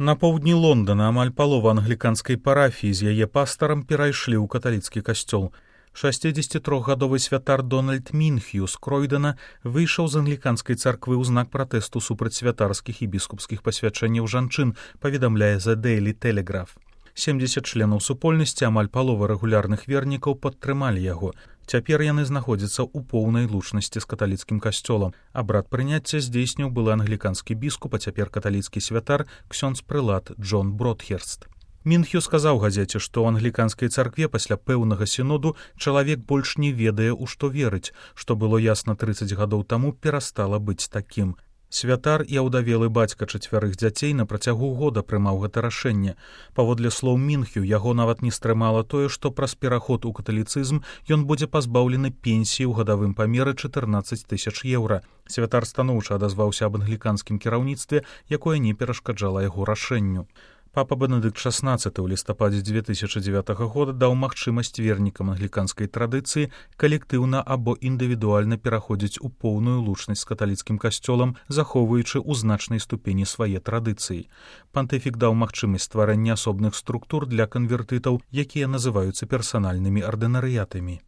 На поўдні Лондона амаль палова англіканскай парафіі з яе пастарам перайшлі ў каталіцкі касцёл. 63-гадовы святар Дональд Мінхью з Кройдена выйшаў з англіканскай царквы ў знак пратэсту супраць святарскіх і біскупскіх пасвячэнняў жанчын, паведамляе The Daily Telegraph. 70 членаў супольнасці, амаль палова рэгулярных вернікаў падтрымалі яго. Цяпер яны знаходзяцца ў поўнай лучнасці з каталіцкім касцёлам. Абрад прыняцця здзейсніў былы англіканскі біскуп, а цяпер каталіцкі святар ксёндз-прылад Джон Бродхерст. Мінхью сказаў газеце, што ў англіканскай царкве пасля пэўнага сіноду чалавек больш не ведае, у што верыць, што было ясна 30 гадоў таму, перастала быць такім. Святар і аўдавелы бацька 4 дзяцей на працягу года прымаў гэта рашэнне. Паводле слоў Мінхью, яго нават не стрымала тое, што праз пераход у каталіцызм ён будзе пазбаўлены пенсіі ў гадавым памеры 14 000 еўра. Святар станоўча адазваўся аб англіканскім кіраўніцтве, якое не перашкаджала яго рашэнню. Папа Бенедыкт XVI ў лістападзе 2009 года даў магчымасць вернікам англіканскай традыцыі калектыўна або індывідуальна пераходзіць у поўную лучнасць з каталіцкім касцёлам, захоўваючы ў значнай ступені свае традыцыі. Пантыфік даў магчымасць стварэння асобных структур для канвертытаў, якія называюцца персанальнымі ардынарыятамі.